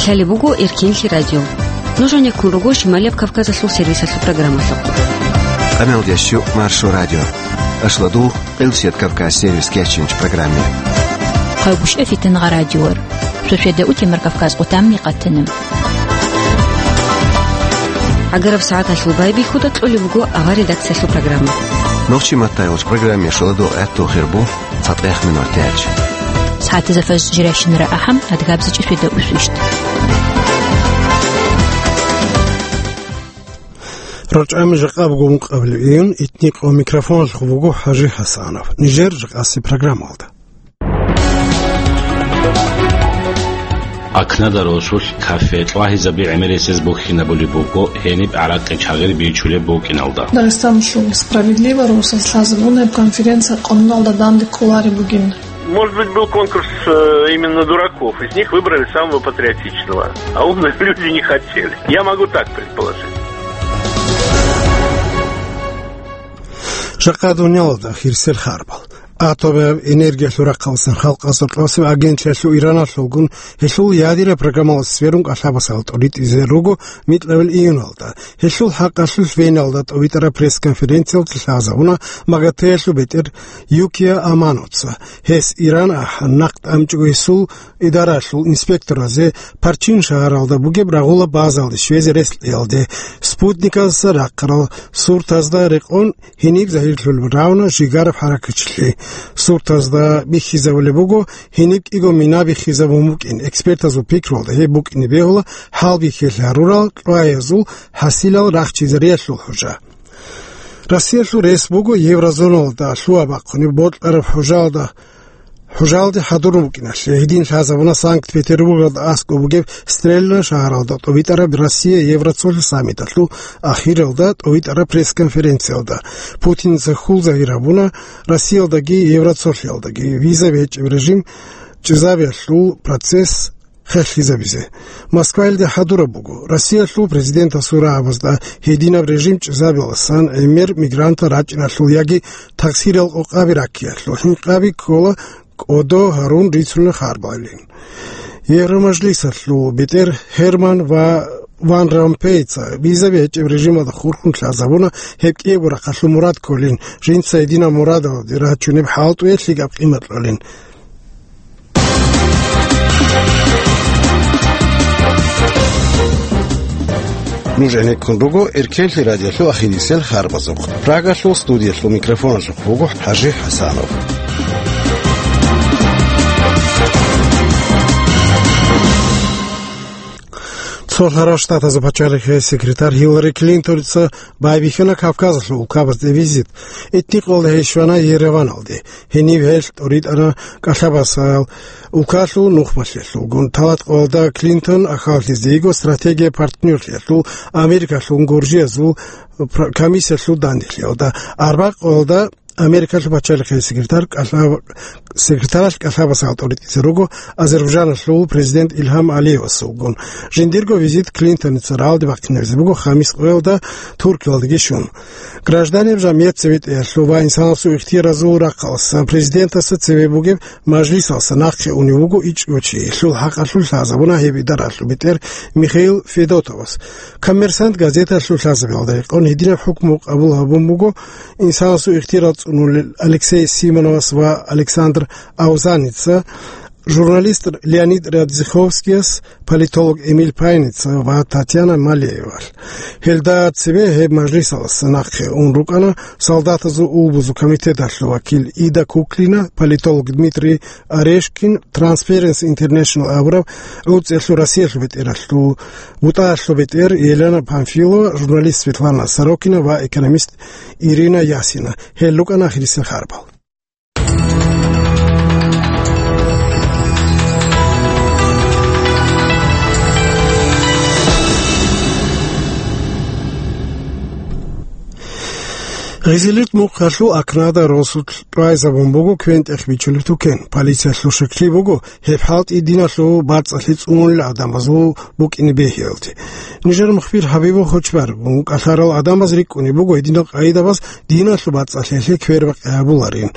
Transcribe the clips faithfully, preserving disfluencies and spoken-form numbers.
Лъалеб буго Эркенлъи радио. Нуж гьанеккун руго Шималияб Кавказалъул сервисалъул программалъухъ. Къамелдящу Маршо радио. Ашладул Къилсият Кавказ сервис кечинч программе. Хъайбушев Фитнагъа радиор. Шошведа утемар Кавказ къутамни къатана. Агараб сагӀаталъул байбихьуда кьолеб буго авар редакциялъул программа. Нохчи маттайгъуч программе шоладул гӀатту хирбу. ЦатӀех минор тяч. СагӀатазда фаз жиращинара ахӀам, адгабзичӀи шведа усвищт. РачӀами жакъа буго ункъабилеб июнь, итникъо микрофоналъухъ буго ХӀажи ХӀасанов. Нижер жакъаси программалда. Акнада росулъ кафе тӀлагьизаби гӀемерисез бухьинабулеб буго гьениб гӀаракъи чагъир бичулеб букӀиналда. Дагъистаналъул «Справедливо» росас лъазабун гьеб конференция къануналда данде кколареб бугин. Может быть, был конкурс, э, именно дураков. Из них выбрали самого патриотичного. А умные люди не хотели. Я могу так предположить. Жакъа дуниялалда хирсел харбал. Атомаб энергиялъул рахъалсан халкъалъул къасиб агентлъиялъул Ираналъулгун гьелъул ядераб программалас сверун кӀалъабасал тӀоритӀизе руго микьабил июналда. Гьелъул хӀакъалъулъ Веналда тӀовитӀараб пресс-конференциялда лъазабуна МАГАТЭялъул бетӀер Юкия Аманоца. Гьес Иран ахӀан, нахъ тӀамчӀого гьесул идаралъул инспекторазе Парчин шагьаралда бугеб рагъула базалде щвезе рес кьеялде, Спутникалдаса рахъарал суртазда рекъон гьениб загьирлъулеб равна жигараб хӀаракатчилъи. Суртазда бихьизабулеб буго гьениб кӀиго мина бихьизабун букӀин. Экспертазул пикруялда гьеб букӀине бегьула хӀалбихьиялъ гьарурал кьваязул хӀасилал рахчизариялъул хӀужа. Россиялъул рес буго еврозоналда лъугьа-бахъунеб бокьараб хӀужалда, хӀужалде хӀадурун букӀиналъе. Гьедин лъазабуна Санкт-Петербургалда аскӀоб бугеб Стрельна шагьаралда тӀовитӀараб Россия-Евроцолъи саммиталъул ахиралда тӀовитӀараб пресс-конференциялда. Путинца хьул загьир гьабуна Россиялдаги Евроцолъиялдаги виза бечӀеб режим чӀезабиялъул процесс хъехӀизабизе. Москваялде хӀадураб буго, Россиялъул президентасул рагӀабазда гьединаб режим чӀезабиялдасан гӀемер мигрантал рачӀиналъул яги таксирал къокъаби раккиялъул хӀинкъаби ккола кӀодо гьарун рицунел харбалин. Евромажлисалъул бетӀер Гьерман ва Ван Ромпейца виза бечӀеб режималда хурхун лъазабуна, гьеб кӀиябго рахъалъул мурад кколин, жинца гьединаб мурадалде рачунеб хӀалтӀуе лъикӀаб къимат кьолин. Нуж гӀенеккун руго Эркенлъи радиолъул ахирисел харбазухъ. Прагалъул студиялъул микрофоналъухъ буго ХӀажи ХӀасанов. Цо лъарал Штатазул пачалихъе секретарь Хиллари Клинтоница байбихьана Кавказалъул улкабазде визит. Итни къолда гьей щвана Ереваналде. Гьенив гьел тӀоритӀана кӀалъабасал улкалъул нухмалъиялъулгун. Талат къолда Клинтон ахьаллъизе йиго стратегия партнерлъиялъул Америкалъул гуржиязул пр-, комиссиялъул данделъиялда. Арба къолда Америкалъул пачалихъе секретарь кӀалъаб-, секретаралъ кӀалъабасал тӀоритӀизе руго Азербайджаналъул президент Илгьам Алиевасулгун. Жиндирго визит Клинтоница рагӀалде бахъинабизе буго хамис къоялда Туркиялдаги щун. Гражданин жамгӀият цебетӀеялъул ва инсанасул ихтияразул рахъалъ президентасда цеве бугеб мажлисалъ нахъе унев вуго ичӀго чи. Гьелъул хӀакъалъулъ лъазабуна гьеб идаралъул бетӀер Михаил Федотовас. «Коммерсант» газеталъул лъазабиялда рекъон гьединаб хӀукму къабул гьабун буго инсанасул ихтияр цӀунулел Алексей Симоновас ва Александр Аузаница, журналист Леонид Радзиховскияс, политолог Эмиль Пайница ва Татьяна Малеевалъ. Гьелда цебе гьеб мажлисалъ нахъе ун рукӀана солдатазул улбузул комитеталъул вакил Ида Куклина, политолог Дмитрий Орешкин, Transparency International абураб гӀурцӀиялъул Россиялъул бетӀералъул бутӀаялъул бетӀер Елена Памфилова, журналист Светлана Сорокина ва экономист Ирина Ясина. Гьел рукӀана ахирисел харбал. Гъизилит мухъалъул Акнада росулъ тӀвайзабун буго квен-тӀех бичулеб тукен. Полициялъул шеклъи буго, гьеб хӀалтӀи диналъул бацӀцӀалъи цӀунулел гӀадамазул букӀине бегьиялде. Нижер мухбир Хабибул Хочбар гун кӀалъарал гӀадамаз рикӀкӀунеб буго гьединал къагӀидабаз диналъул бацӀцӀалъиялъе квербакъи гьабуларин.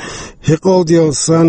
Гьекъолдиялсан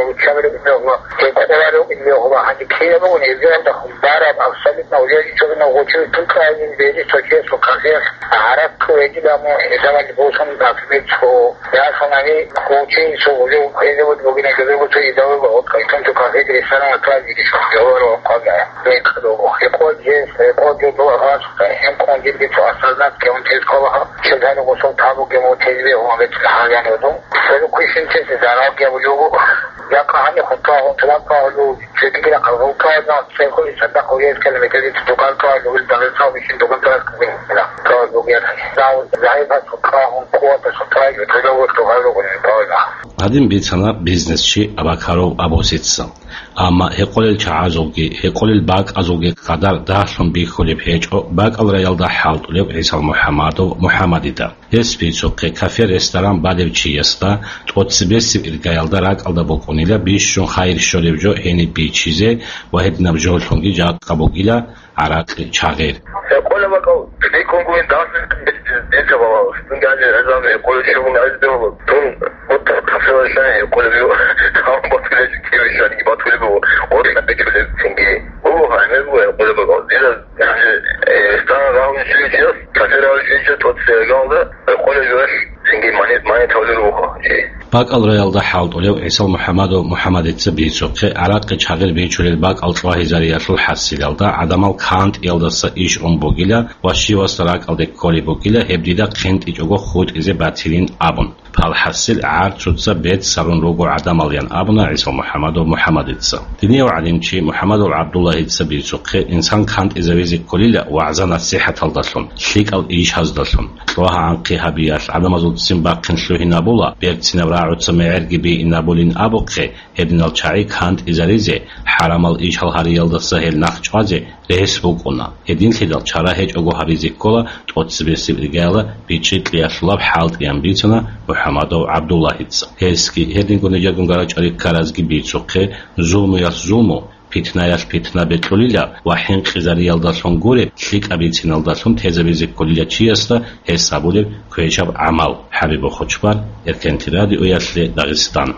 гьев учабилеб мегьла, гьеб къорарев мегьла, гьаниб ккелеб бугони, гьезиялда хъумбараб абсолютно уяличӀогинав гъочи тукаянин бери сочесо кафеялъ гьаракь ккведила мун гьезабали босун, например, цо ясанани гъочи цо гъожев гьезабал бугина гьезабал цо идавеба гъотӀа, итун цо кафеги ресторан аклазиги шухъ гьаваро хъвагая. Бекъ дого. Гьекъо жес, гьекъо жо дугьа гъас, гьем ккун жинди цо осознать ккевун тез ккола гьаб. Чедгьари гъусул табуге мун тезбе гьун гьечӀин гьагьанивду. Церукъищинчиясе зарал гьабулев вуго. Якъа гьанихъ хутӀа, хутӀа ккалу, цогидира къалгъулкаязда церкъули цадахъ гьес километралде цо дукан ккалу, ил Дагъистан бищун дукан ккалу. Ккалу гьес. Дав загьипас хутӀа, хун къуватас хутӀа, ил цо дагъур дугъал ругони ккалу. Гьадин бицана бизнесчи Абакаров Абусица. Амма гьекъолел чагӀазулги, гьекъолел бакӀазулги къадар дагьлъун бихьулеб гьечӀо бакӀал раялда хӀалтӀулев ГӀисал МухӀамадов МухӀамадида. Гьес бицухъе, кафе-ресторан балев чиясда тӀоцебесеб иргаялда ракӀалда букӀунила бищун хайир щолеб жо гьениб бичизе ва гьединаб жолъунги жакъа бугила гӀаракъи чагъир. Гьекъолеб бакӀал бикьун гуин дагьлъун дица балагьуш. Дунги гьанже гӀезаб гьекъолеб щугун гӀезде гьула. Дун гъутта кафелалъа гьекъолеб жо. Гьаб батулел кивишанги батулеб буго. Гъоркьа бечулеб цинги. Буго гьаниб буго гьекъолеб бакӀал. Дида гьанже, э, стан рагьун щвечияс, кафе рагьун щвечияс тӀоцебе иргаялда гьекъолеб жоялъ цинги мани-, мани тавлур вуго чи. БакӀал раялда хӀалтӀулев ГӀисал МухӀамадов МухӀамадица бицухъе, гӀаракъи чагъир бичулел бакӀал чӀвагьизариялъул хӀасилалда гӀадамал кантӀиялдаса иш ун бугила ва щивасда ракӀалде кколеб бугила гьеб дида хъинтӀичӀого хутӀизе батилин абун. Палхасил гӀарцуца бецц гьарун руго гӀадамал, ян абуна ГӀисал МухӀамадов МухӀамадица. Динияв гӀалимчи МухӀамадов ГӀабдуллагьица бицухъе, инсан кантӀизавизе кколила вагӀза-насихӀаталдалъун, лъикӀал ишаздалъун. ЧӀвагьа-анхъи гьабиялъ гӀадамазул ццин бахъин лъугьинабула, берцинаб рагӀуца мегӀерги бийинабулин абухъе, гьединал чагӀи кантӀизаризе, хӀарамал ишал гьариялдаса гьел нахъ чӀвазе, рес букӀуна. Гьединлъидал чара гьечӀого гьабизе ккола тӀоцебесеб иргаяла бичӀчӀи кьеялъулаб хӀалтӀиян бицана МухӀамадов ГӀабдуллагьица. Гьесги, гьединго нижерго гьарачӀари ккаразги бицухъе, зулмуялъ зулму, питнаялъ питна бекьулила ва хӀинкъизариялдалъун гуреб лъикӀаб бициналдалъун тезабизе кколила чиясда гьес гьабулеб квешаб гӀамал. ХӀабиб Бохочбар, Эркенти радиоялъе, Дагъистан.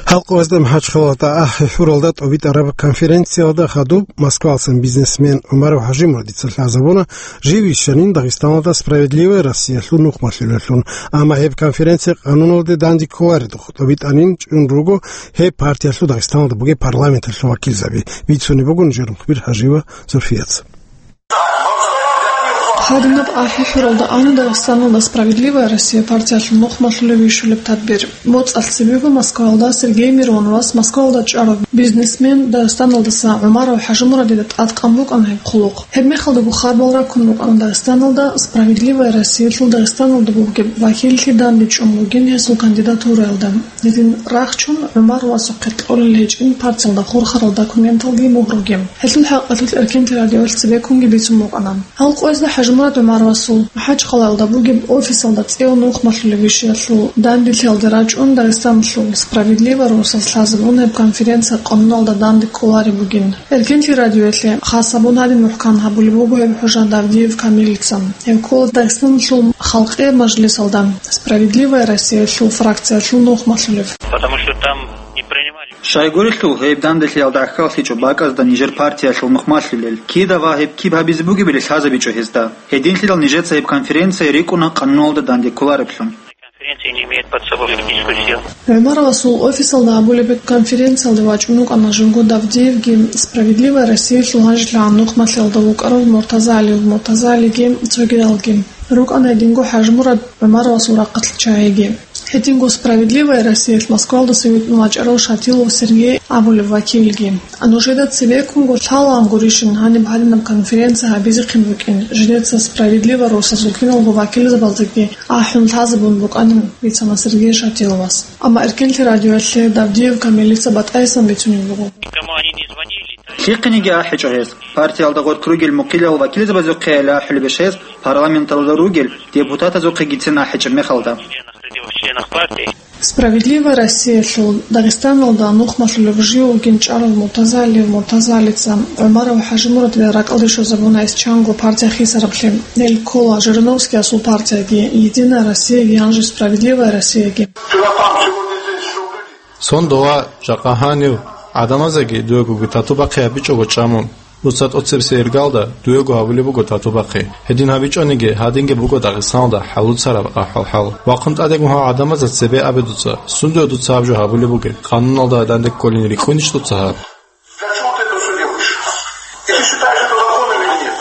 Халкъ гьезда МахӀачхъалалда АхӀи хӀуралда тӀобитӀараб конференциялда хадуб Москвалсан бизнесмен ГӀумаров ХӀажимурадица лъазабуна жив вищанин Дагъистаналда «Справедливая Россиялъул» нухмалъулеллъун. Амма гьеб конференция къануналде данде кколаредухъ тӀобитӀанин чӀун руго гьеб партиялъул Дагъистаналда бугеб парламенталъул вакилзаби. Бицунеб буго нижер мухбир ХӀажиева Зульфияца. Гьадинаб АхӀи хӀуралда ана Дагъистаналда «Справедливая Россия» партиялъул нухмалъулев вищулеб тадбир. БоцӀалъ цебего Москваялда Сергей Мироновас Москваялда чӀарав бизнесмен Дагъистаналдаса ГӀумаров ХӀажимурадида тӀадкъан букӀана гьеб хъулухъ. Гьеб мехалдаго хабал раккун рукӀана Дагъистаналда «Справедливая Россиялъул» Дагъистаналда бугеб вакиллъи данде чӀун бугин гьесул кандидатураялда. Гьедин рахчун ГӀумаровасухъе кьолел гьечӀин партиялда хурхарал документалги мугьруги. Гьелъул хӀакъалъулъ Эркенти радиоялъ цебеккунги бицун букӀана. Гьал къоязда ХӀажимурад ГӀумаровасул МахӀачхъалаялда бугеб офисалда цӀеял нухмалъулеб вищиялъул данделъиялде рачӀун Дагъистаналъул «Справедливая Россия» лъазабун гьеб конференция къануналда данде кколареб бугин. Эркенти радиоялъе хас гьабун гьадин мухӀкан гьабулеб буго гьеб хӀужа Давдиев Камилица. Гьев ккола Дагъистаналъул Халкъиял мажлисалда «Справедливая Россиялъул» фракциялъул нухмалъулев. Потому что там не принимали. Щайгурелъул гьеб данделъиялда гӀахьаллъичӀо бакӀазда нижер партиялъул нухмалъулел, кида ва гьеб киб гьабизе бугебали лъазабичӀо гьезда. Гьединлъидал нижеца гьеб конференция рикӀкӀуна къануналда данде кколареблъун. Конференция не имеет под собой юридическую силу. ГӀумаровасул офисалда гьабулеб конференциялде вачӀун вукӀана жинго Давдиевги, «Справедливая Россиялъул» гьанжелъагӀан нухмалъиялда вукӀарав Муртаза ГӀалиев Муртаза ГӀалиги цогидалги. РукӀана гьединго ХӀажимурад ГӀумаровасул рахъалъ чагӀиги. Гьединго «Справедливая Россиялъ» Москвалдаса витӀун вачӀарав Шатилов Сергей абулев вакилги. Нужеда цебеккунго лъалаан гурищин гьаниб гьадинаб конференция гьабизехъин букӀин, жидеца «Справедливая Россиялъул» киналго вакилзабаздаги ахӀун лъазабун букӀанин, бицана Сергей Шатиловас. Амма Эркенлъи радиоялъе Давдиев Камилица батӀайсан бицунеб буго. Никому они не звонили. Лъихъениги ахӀичӀо гьез. Партиялда гъоркь ругел мухъилал вакилзабазухъе ахӀулебищ гьез, парламенталда ругел депутатазухъегицин ахӀичӀеб мехалда? Членах партии. «Справедливая Россиялъул» Дагъистаналда нухмалъулев жив вугин чӀарав Муртаза ГӀалиев Муртаза ГӀалица ГӀумаров ХӀажимурадил ракӀалде щвезабуна исчанго партия хисараблъи. Гьел ккола Жириновскиясул партияги, «Единая Россияги» гьанже «Справедливая Россияги». Сон дова жакъа гьанив гӀадамазеги дуегоги тату бахъи гьабичӀого чӀамун. Дуца тӀоцебесеб иргалда дуего гьабулеб буго тату бахъи. Гьедин гьабичӀониги, гьадинги буго Дагъистаналда хӀалуцараб ахӀвал-хӀал. Вахъун тӀадегун гьав гӀадамазда цебе абе дуца, сундуе дуца гьаб жо гьабулеб бугеб, къануналда гьадинде кколин рикӀкӀунищ дуца гьаб? Для чего ты это всё делаешь? И ты считаешь это законным или нет?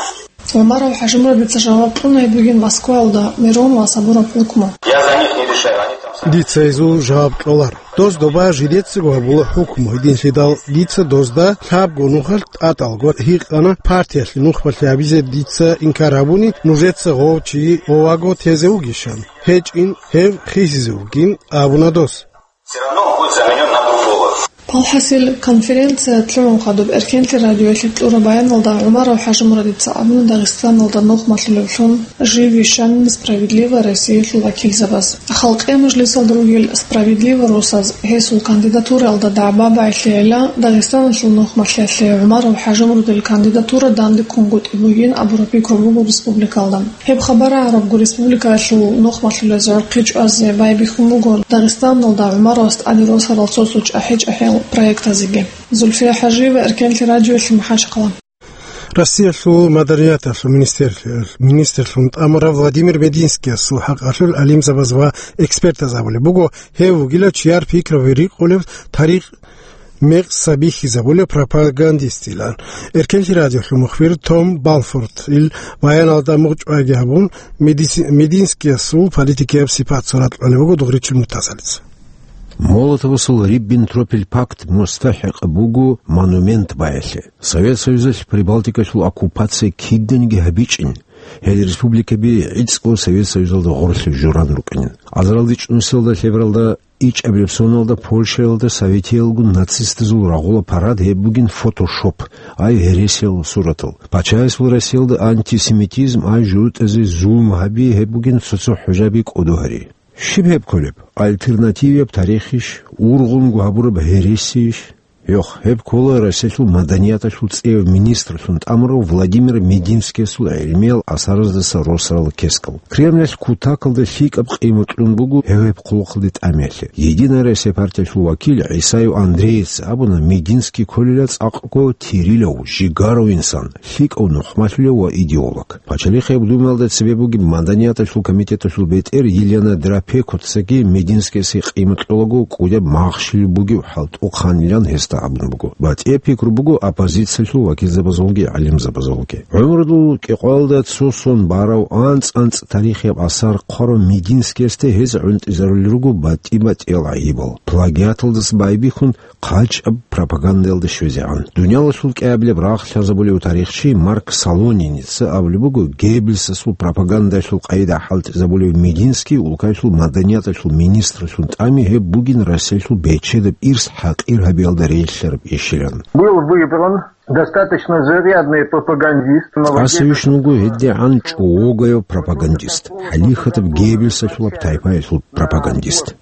ГӀумаров ХӀажимурадица жаваб кьуна гьеб бугин Москваялда Миронова сабураб хӀукму. Я за них не решаю, они там сами. Дица гьезул жаваб кьолар. Доз доба жидецаго гьабула хӀукму, гьединлъидал дица дозда лъабго нухалъ тӀатӀалго гьикъана партиялъе нухмалъи гьабизе дица инкар гьабуни, нужеца гъов чи гъоваго тезе вугищан. ГьечӀин, гьев хисизе вугин абуна дос. Всё равно он будет заменён на другого. ПалхӀасил, конференция лъугӀун хадуб Эркенлъи радиоялъе кьураб баяналда ГӀумаров ХӀажимурадица абуна Дагъистаналда нухмалъулевлъун жив вищанин «Справедливая Россиялъул» вакилзабаз. Халкъе мажлисалда ругел «Справедливая Россияз» гьесул кандидатураялда дагӀба багӀилъейила Дагъистаналъул нухмалъиялъе ГӀумаров ХӀажимурадил кандидатура дандеккунгутӀи бугин абураб пикру буго республикалда. Гьеб хабар гӀарабго республикаялъул нухмалъулез гӀурхъи чӀвазе байбихьун буго Дагъистаналда ГӀумаровас тӀаде росарал цо-цо чӀахӀи-чӀахӀиял проектазеги. Зульфия ХӀажиева, Эркенлъи радиоялъе, МахӀачхъала. Россиялъул маданияталъул министр-, министрлъун тӀамурав Владимир Мединскиясул хӀакъалъулъ гӀалимзабаз ва экспертаз абулеб буго, гьев вугила чияр пикраби рикъулев тарих мекъса бихьизабулев пропагандистилан. Эркенлъи радиолъул мухбир Том Балфордил баяналда мугъчӀвайги гьабун, Медиси-, Мединскиясул политикияб сипат сурат кьолеб буго Дугъричил Муртазалица. Молотовасул Риббентропил пакт мустахӀикъ буго монумент баялъе. Совет Союзалъ Прибалтикалъул оккупация киданиги гьабичӀин, гьел республикаби гӀицӀго Совет Союзалда гъорлъе журан рукӀинин. Азаралде чӀунусиялда лъебералда ичӀабилеб соналда Польшаялда советиялгун нацистазул рагъула парад гьеб бугин фотошоп, ай гьересиял суратал. Пачаясул Россиялда антисемитизм, ай жугьутӀазе зулму гьаби гьеб бугин цо-цо хӀужаби кӀодо гьари. Щиб гьеб кколеб? Альтернативияб тарихищ, ургъунго гьабураб гьересийищ? Йох, гьеб ккола Россиялъул маданияталъул цӀеяв министрлъун тӀамурав Владимир Мединскиясул гӀелмиял асараздаса росарал кескал. Кремлалъ кутакалда лъикӀаб къимат кьун буго гьев гьеб хъулухъалде тӀамиялъе. Единая Россия партиялъул вакил ГӀисаев Андреец абуна, Мединский кколила цӀакъго тирилав, жигарав инсан, лъикӀав нухмалъулев ва идеолог. Пачалихъияб Думаялда цебе бугеб маданияталъул комитеталъул бетӀер Елена Драпекоцаги Мединскиясе къимат кьолаго кӀудияб махщел бугев хӀалтӀухъанилан гьесда абун буго. БатӀияб пикру буго оппозициялъул вакилзабазулги гӀалимзабазулги. ГӀумрудул кӀикъоялда цо сон барав анцӀ-анцӀ тарихияб асар хъварав Мединскиясде гьез гӀунтӀизарулел руго батӀи-батӀиял гӀайибал. Плагиаталдаса байбихьун, хъачӀаб пропагандаялда щвезегӀан. Дуниялалъул кӀиабилеб рагъ лъазабулев тарихчи Марк Солониница абулеб буго, Геббельсасул пропагандалъул къайда хӀалтӀизабулев Мединский улкаялъул маданияталъул министрлъун тӀами гьеб бугин Россиялъул бечедаб ирс хӀакъир гьабиялда релълъараб ишилан. Был выбран достаточно зарядный пропагандист, молодец. Тясавищ вуго гьедигӀан чӀогояб пропагандист, хӀалихьатаб Геббельсалъулаб тайпаялъул пропагандист.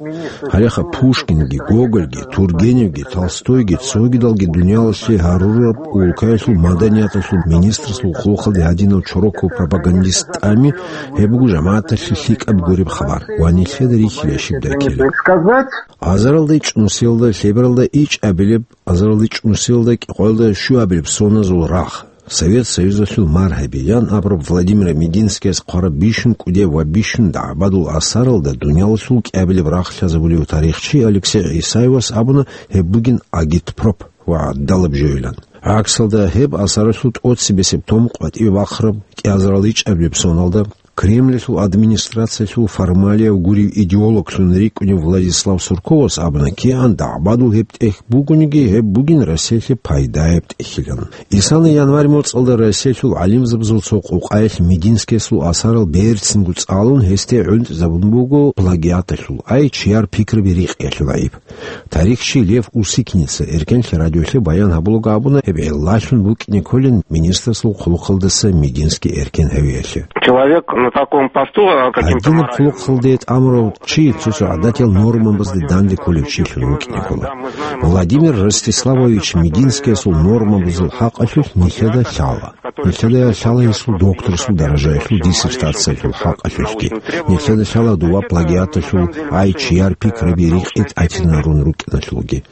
Гьалеха Пушкинги, Гогольги, Тургеневги, Толстойги, цогидалги дуниялалъе гьарураб улкаялъул маданияталъул министрасул хъулухъалде гьадинав чороков пропагандист тӀами, гьеб буго жамагӀаталъе лъикӀаб гуреб хабар ва нилъеда рихьила щибдай ккела. Сказать. Азаралда чӀунусиялда лъебералда ичӀабилеб, азаралда чӀунусиялда кӀикъоялда щуабилеб соназул рагъ. Совет Союзалъул маргьаби ян абураб Владимир Мединскияс хъвараб бищун кӀудияв ва бищун дагӀбадул асаралда дуниялалъул кӀиабилеб рахъ лъазабулев тарихчи Алексей ГӀисаевас абуна, гьеб бугин агитпроп ва гӀадалаб жоилан. ГӀаксалда, гьеб асаралъул тӀоцебесеб том къватӀибе бахъараб кӀиазарал ичӀабилеб соналда Кремльалъул администрациялъул формалияв гурев идеологлъун рикӀкӀунев Владислав Сурковас абуна кигӀан, дагӀбадул гьеб тӀехь бугониги, гьеб бугин Россиялъе пайдаяб тӀехьилан. Исана январь моцӀалда Россиялъул гӀалимзабазул цо къукъаялъ Мединскиясул асарал берцинго цӀалун, гьесде гӀунтӀизабун буго плагиаталъул, ай чияр пикраби рикъиялъул гӀайиб. Тарихчи Лев Усикница Эркенлъи радиолъе баян гьабулаго абуна, гьеб гӀиллалъун букӀине кколин министрасул хъулухъалдаса Мединский эркен гьавиялъе. Человек на таком посту, а, каким-то Гьадинаб моральным хъулухъалде тӀамурав чи цо-цо гӀадатиял нормабазде данде кколев чилъун вукӀине ккола. Владимир Ростиславович Мединскиясул нормабазул хӀакъалъулъ нилъеда лъала. Нилъеда лъала гьесул докторасул даражаялъул диссертациялъул хӀакъалъулъги. Нилъеда лъала дова плагиаталъул, ай чияр пикраби рикъи тӀатинарун рукӀиналъулги.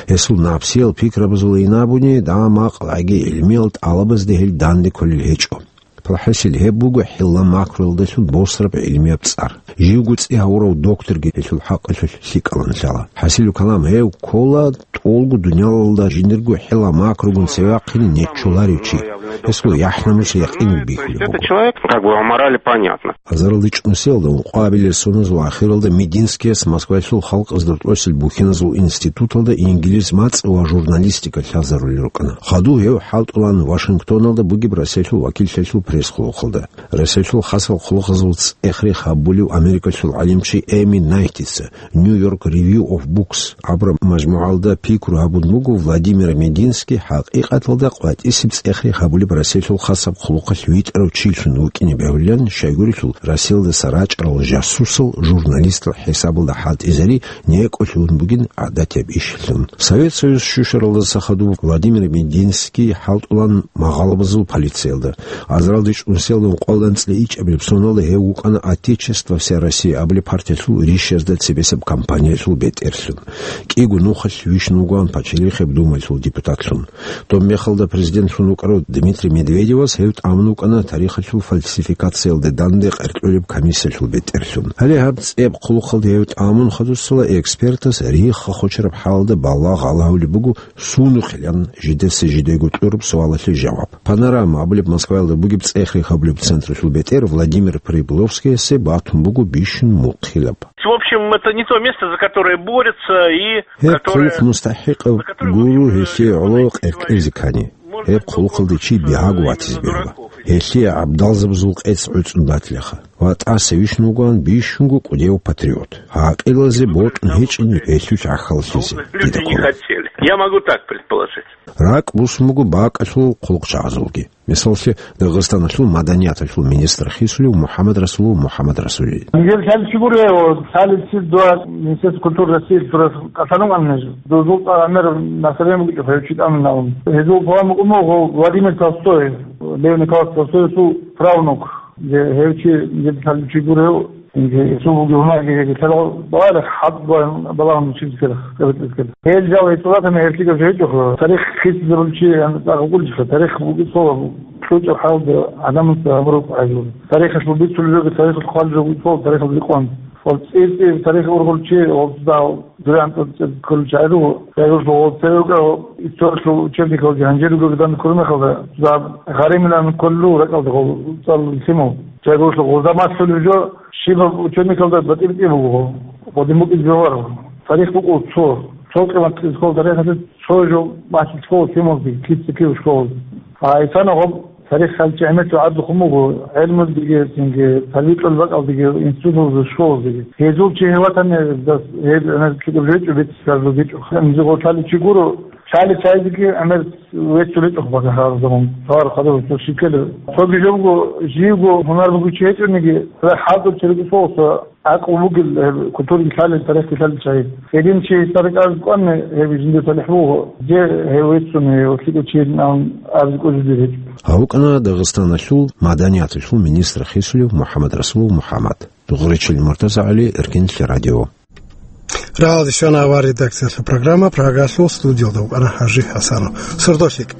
Гьесул напсиял пикрабазул инабуни, дагьа-макъ лаги гӀилмиял тӀалабазде гьел данде кколел гьечӀо. ПалхӀасил гьеб буго хӀилла макруялдалъун босараб гӀилмияб цӀар. Живго цӀи гьавурав докторги гьелъул хӀакъалъулъ лъикӀалан лъала. ХӀасилу калам, гьев ккола тӀолго дуниялалда жиндирго хӀилла макругун цевехъин нечоларев чи. Гьесул яхӀ-намус якъинго бихьулеб буго. Это человек, как бы, о морали понятно. Азаралда чӀунсиялда ункъоабилел соназул ахиралда Мединскияс Москваялъул халкъазда тӀосил бухьиназул институталда инглиз мацӀ ва журналистика лъазарулел рукӀана. Хадув гьев хӀалтӀулан Вашингтоналда бугеб Россиялъул вакиллъиялъул пресс-хъулухъалда. Россиялъул хасал хъулухъазул цӀех-рех гьабулев Америкалъул гӀалимчи Эми Найтица New York Review of Books абураб мажмугӀалда пикру гьабун буго Владимир Мединский хӀакъикъаталда къватӀисеб цӀех-рех гьабулеб Россиялъул хасаб хъулухъалъ витӀарав чилъун вукӀине бегьулилан, щайгурелъул Россиялдаса рачӀарал жасусал, журналистал хӀисабалда хӀалтӀизари некӀолъун бугин гӀадатияб ишлъун. Совет Союз щущаралдаса хадуб Владимир Мединский хӀалтӀулан магъалабазул полициялда. Азаралда чӀунсиялда ункъоялда анцӀила ичӀабилеб соналда гьев вукӀана «Отечество всея Россия» абулеб партиялъул ришшазда цебесеб кампаниялъул бетӀерлъун. КӀиго нухалъ вищун вугоан Пачалихъеб Думаялъул депутатлъун. Доб мехалда президентлъун вукӀарав Дмитрий Медведевас гьев тӀамун вукӀана тарихалъул фальсификациялда данде къеркьулеб комиссиялъул бетӀерлъун. Гьале гьаб цӀеб хъулухъалда гьев тӀамун хадусала экспертас рихха хочараб хӀалалда балагь гьабулеб буго, сунухъилан жидеца жидего кьураб суалалъе жаваб. «Панорама» абулеб Москваялда бугеб цӀех-рех гьабулеб централъул бетӀер Владимир Прибыловскиясе батун буго бищун мухъилаб. В общем, это не то место, за которое борются и Гьеб которое, хъулухъ мустахӀикъав за которое, в общем, гуро гьелъие гӀоло къеркьезе ккани. Гьеб хъулухъалде чи бигьаго ватизе бегьула. Гьелъие гӀабдалзабазул къец гӀуцӀун батилаха. Ва тӀаса вищун вугоан бищунго кӀудияв патриот. ГӀакъилазе бокьун гьечӀин гьелъулъ гӀахьаллъизе. Люди не хотели. Я могу так предположить. РакӀ бусун буго бакӀалъул хъулухъчагӀазулги. Мисаллъе, Дагъистаналъул маданияталъул министр хисулев МухӀаммад Расулов МухӀаммад Расулович. Нижер лъалчи гурев, лъалеб цин дуа Министерство культуры России турас кӀалъалун амнеж. Дозул тӀагӀамер наслоение букӀа хъайчи тӀамун. Гьезул палам букӀун буго Владимир Толстой, Лев Николаевич Толстоевсул правнук. Гьев чи нижер лъалчи гурев, инги гьесул бугеб гьунарги гьеги лъала балагь, хӀад балагь, балагьун чилисел, кабитӀискел. Гьел жал гьечӀолатани гьелъигав жо гьечӀоха. Тарих хисизабулчи гьанна тӀагъ вукӀулчилъа, тарих бугеб цо кьучӀаб хӀалда гӀадамаца гьабураб гӀайзул. Тарихалъул бицулел жоги, тарихалъ хъвалел жоги цо, тарихалъ рикъван. Ва цӀир-цӀир тарих ургъулчи, ва дагь дуе гӀантӀа цӀер кколчи гӀайруго. Гьелъул цеве вукӀа историялъул учебникалги гьанже ругел данде ккураб мехалда, дагь гъаримилан кколел ракӀалда гъол цӀалулел лъимал. Чагуршлъухъ гъоза малъулеб жо щибаб учебникалда батӀи-батӀи буго, гъодин букӀине бегьуларо. Тарих букӀул цо, цо къимат школа тарихалъе цо жо малъи школа лъималги, кица-кив школалги. А исана гъоб тарих хъалчи гӀемер гӀадлухъун буго, гӀелмудиги, цинги, талбикьул бакӀалдиги, институталда, школалдиги. Гьезул чи гьев ватани, дас, гьеб гӀемер кӀиго жо гьечӀо, бецӀ цӀар жо гьечӀо. Гьанже гъо лъалев чи гуро, лъалев чайзеги гӀемер веццулечӀо багьа гьарзамун, товар хадур цо шикелев. Цоги жо буго, живго гьунар бугев чи гьечӀониги, цо хӀалтӀул чи рукӀине соса гӀакълу бугел, гьеб культураги лъалел, тарихги лъалел чагӀи. Гьедин чи гьесда рекӀараб кӀванани, гьеб жиндир талихӀ буго, же гьев веццун, гьев лъикӀав чи вугин абизе кӀвезе дир гьечӀо. Гьав вукӀана Дагъистаналъул маданияталъул министр хисулев МухӀаммад Расулов МухӀаммад. Дугъричил МуртазагӀали, Эркенлъи радио. Рагьалде щвана авар редакциялъул программа, Прагалъул студиялда вукӀана ХӀажи ХӀасанов. Сордо лъикӀ.